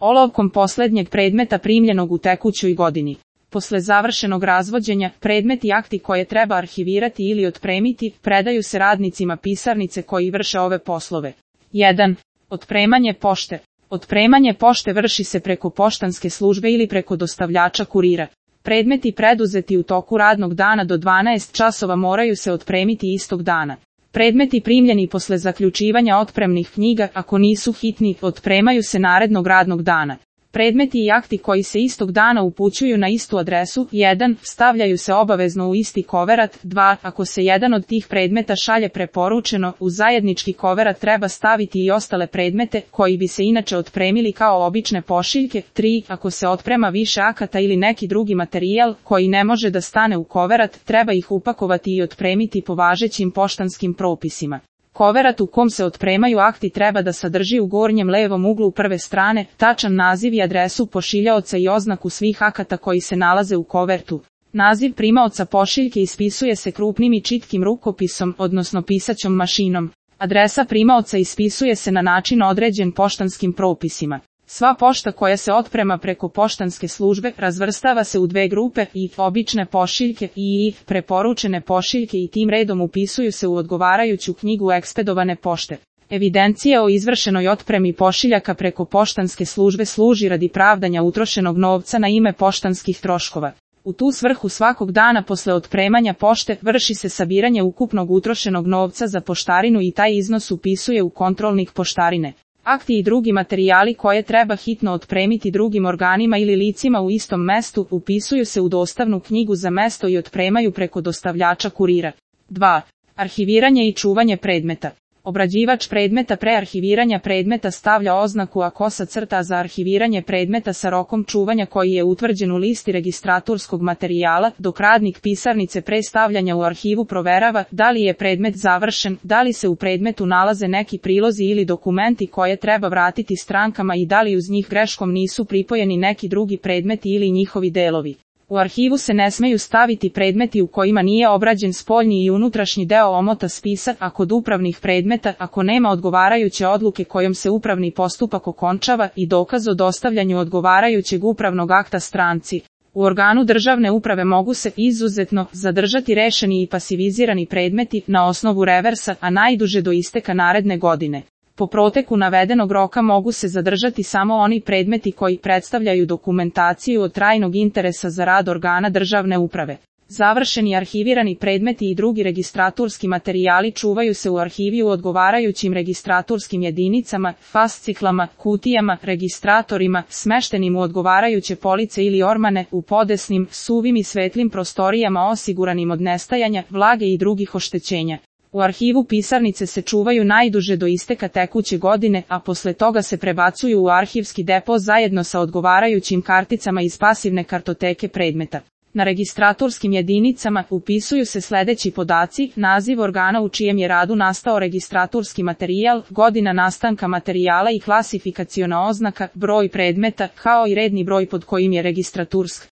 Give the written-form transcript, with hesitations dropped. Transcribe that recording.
olovkom poslednjeg predmeta primljenog u tekućoj godini. Posle završenog razvođenja, predmeti i akti koje treba arhivirati ili otpremiti, predaju se radnicima pisarnice koji vrše ove poslove. 1. Otpremanje pošte. Otpremanje pošte vrši se preko poštanske službe ili preko dostavljača kurira. Predmeti preduzeti u toku radnog dana do 12 časova moraju se otpremiti istog dana. Predmeti primljeni posle zaključivanja otpremnih knjiga, ako nisu hitni, otpremaju se narednog radnog dana. Predmeti i akti koji se istog dana upućuju na istu adresu, 1. stavljaju se obavezno u isti koverat, 2. ako se jedan od tih predmeta šalje preporučeno, u zajednički koverat treba staviti i ostale predmete, koji bi se inače otpremili kao obične pošiljke, 3. ako se otprema više akata ili neki drugi materijal, koji ne može da stane u koverat, treba ih upakovati i otpremiti po važećim poštanskim propisima. Koverat u kom se otpremaju akti treba da sadrži u gornjem levom uglu prve strane tačan naziv i adresu pošiljaoca i oznaku svih akata koji se nalaze u kovertu. Naziv primaoca pošiljke ispisuje se krupnim i čitkim rukopisom, odnosno pisaćom mašinom. Adresa primaoca ispisuje se na način određen poštanskim propisima. Sva pošta koja se otprema preko poštanske službe razvrstava se u dve grupe, i obične pošiljke i preporučene pošiljke, i tim redom upisuju se u odgovarajuću knjigu ekspedovane pošte. Evidencija o izvršenoj otpremi pošiljaka preko poštanske službe služi radi pravdanja utrošenog novca na ime poštanskih troškova. U tu svrhu svakog dana posle otpremanja pošte vrši se sabiranje ukupnog utrošenog novca za poštarinu i taj iznos upisuje u kontrolnik poštarine. Akti i drugi materijali koje treba hitno otpremiti drugim organima ili licima u istom mestu upisuju se u dostavnu knjigu za mesto i otpremaju preko dostavljača kurira. 2. Arhiviranje i čuvanje predmeta. Obrađivač predmeta pre arhiviranja predmeta stavlja oznaku **, za arhiviranje predmeta sa rokom čuvanja koji je utvrđen u listi registratorskog materijala, dok radnik pisarnice pre stavljanja u arhivu proverava da li je predmet završen, da li se u predmetu nalaze neki prilozi ili dokumenti koje treba vratiti strankama i da li uz njih greškom nisu pripojeni neki drugi predmeti ili njihovi delovi. U arhivu se ne smeju staviti predmeti u kojima nije obrađen spoljni i unutrašnji deo omota spisa, a kod upravnih predmeta ako nema odgovarajuće odluke kojom se upravni postupak okončava i dokaz o dostavljanju odgovarajućeg upravnog akta stranci. U organu državne uprave mogu se, izuzetno, zadržati rešeni i pasivizirani predmeti na osnovu reversa, a najduže do isteka naredne godine. Po proteku navedenog roka mogu se zadržati samo oni predmeti koji predstavljaju dokumentaciju od trajnog interesa za rad organa državne uprave. Završeni arhivirani predmeti i drugi registratorski materijali čuvaju se u arhivi u odgovarajućim registratorskim jedinicama, fasciklama, kutijama, registratorima, smeštenim u odgovarajuće police ili ormane, u podesnim, suvim i svetlim prostorijama osiguranim od nestajanja, vlage i drugih oštećenja. U arhivu pisarnice se čuvaju najduže do isteka tekuće godine, a posle toga se prebacuju u arhivski depo zajedno sa odgovarajućim karticama iz pasivne kartoteke predmeta. Na registratorskim jedinicama upisuju se sledeći podaci: naziv organa u čijem je radu nastao registratorski materijal, godina nastanka materijala i klasifikaciona oznaka, broj predmeta, kao i redni broj pod kojim je registratursk.